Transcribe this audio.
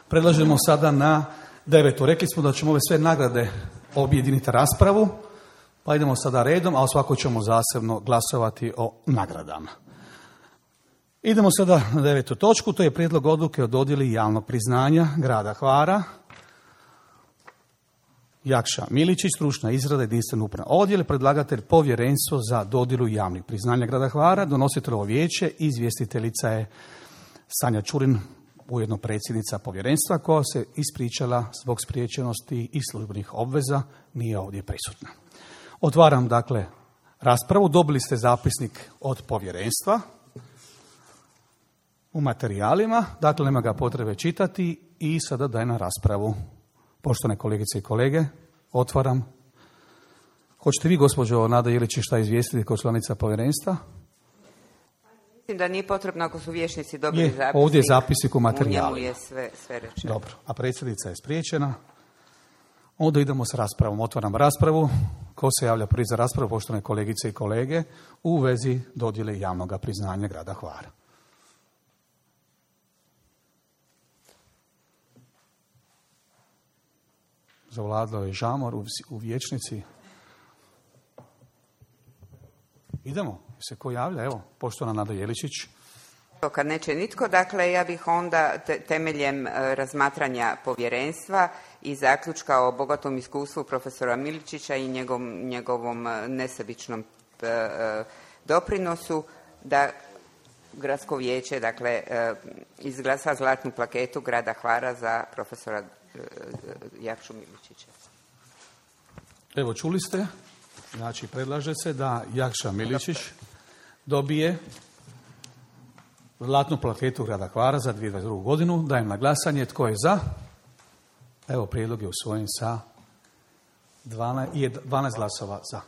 Predlažemo sada na 9. Rekli smo da ćemo ove sve nagrade objediniti raspravu, pa idemo sada redom, a o svakoj ćemo zasebno glasovati o nagradama. Idemo sada na 9. točku, to je prijedlog odluke o dodjeli javnog priznanja grada Hvara. Jakša Miličić, stručna izrada, jedinstveni upravni odjel, predlagatelj povjerenstvo za dodjelu javnih priznanja grada Hvara, donositeljovo vijeće, izvjestiteljica je Sanja Čurin, ujedno predsjednica povjerenstva, koja se ispričala zbog spriječenosti i službenih obveza, nije ovdje prisutna. Otvaram dakle raspravu, dobili ste zapisnik od povjerenstva u materijalima, dakle nema ga potrebe čitati i sada dajem na raspravu. Poštovane kolegice i kolege, otvaram. Hoćete vi, gospođo Nada Jeličić, šta izvijestiti kao članica povjerenstva? Mislim da nije potrebno ako su vijećnici dobili zapisnik. Ovdje je zapisnik u materijalima. U njemu je sve rečeno. Dobro, a predsjednica je spriječena. Onda idemo s raspravom. Otvaram raspravu. Ko se javlja prvi za raspravu, poštovane kolegice i kolege, u vezi dodjele javnog priznanja grada Hvara? Zavladao je žamor u vijećnici. Idemo, se ko javlja? Evo, poštovana Nada Jeličić. Kad neće nitko, dakle, ja bih onda temeljem razmatranja povjerenstva i zaključka o bogatom iskustvu profesora Miličića i njegovom nesebičnom doprinosu, da gradsko vijeće, dakle, izglasa zlatnu plaketu grada Hvara za profesora Jakšu Miličića. Evo, čuli ste, znači predlaže se da Jakša Miličić dobije zlatnu plaketu grada Hvara za 2022. godinu. Dajem na glasanje. Tko je za? Evo, prijedlog je usvojen sa 12 glasova za.